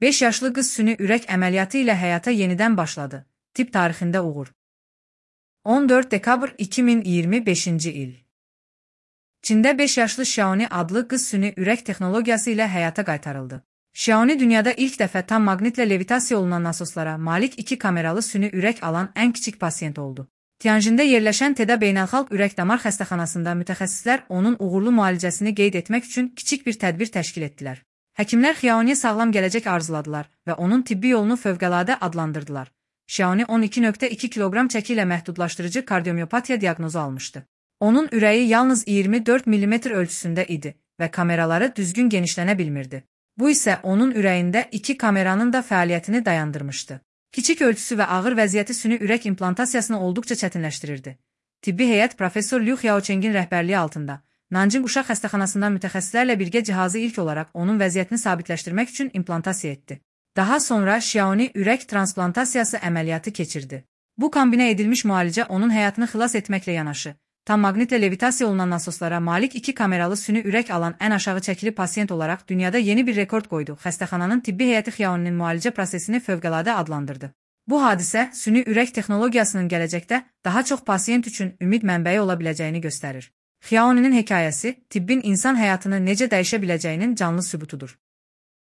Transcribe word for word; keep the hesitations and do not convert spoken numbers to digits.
beş yaşlı qız süni ürək əməliyyatı ilə həyata yenidən başladı. Tibb tarixində uğur. on dörd dekabr iki min iyirmi beşinci il. Çində beş yaşlı Xiaomi adlı qız süni ürək texnologiyası ilə həyata qaytarıldı. Xiaomi dünyada ilk dəfə tam maqnitlə levitasiya olunan nasoslara malik iki kameralı süni ürək alan ən kiçik pasiyent oldu. Tianjində yerləşən TEDA Beynəlxalq Ürək-Damar Xəstəxanasında mütəxəssislər onun uğurlu müalicəsini qeyd etmək üçün kiçik bir tədbir təşkil etdilər. Həkimlər Xiaomiyə sağlam gələcək arzuladılar və onun tibbi yolunu fövqəladə adlandırdılar. Xiaomi on iki nöqtə iki kiloqram çəki ilə məhdudlaşdırıcı kardiomiyopatiya diaqnozu almışdı. Onun ürəyi yalnız iyirmi dörd millimetr ölçüsündə idi və kameraları düzgün genişlənə bilmirdi. Bu isə onun ürəyində iki kameranın da fəaliyyətini dayandırmışdı. Kiçik ölçüsü və ağır vəziyyəti süni ürək implantasiyasını olduqca çətinləşdirirdi. Tibbi heyət professor Liu Xiaocheng'in rəhbərliyi altında Nanjing Uşaq Xəstəxanasından mütəxəssislərlə birgə cihazı ilk olaraq onun vəziyyətini sabitləşdirmək üçün implantasiya etdi. Daha sonra Xiaomi ürək transplantasiya əməliyyatı keçirdi. Bu kombinə edilmiş müalicə onun həyatını xilas etməklə yanaşı, tam maqnitlə levitasiya olunan nasoslara malik iki kameralı süni ürək alan ən aşağı çəkili pasiyent olaraq dünyada yeni bir rekord qoydu. Xəstəxananın tibbi heyəti Xiaomi'nin müalicə prosesini fövqəladə adlandırdı. Bu hadisə süni ürək texnologiyasının gələcəkdə daha çox pasiyent üçün ümid mənbəyi ola biləcəyini göstərir. Xiaomi'nin hekayəsi, tibbin insan həyatını necə dəyişə biləcəyinin canlı sübutudur.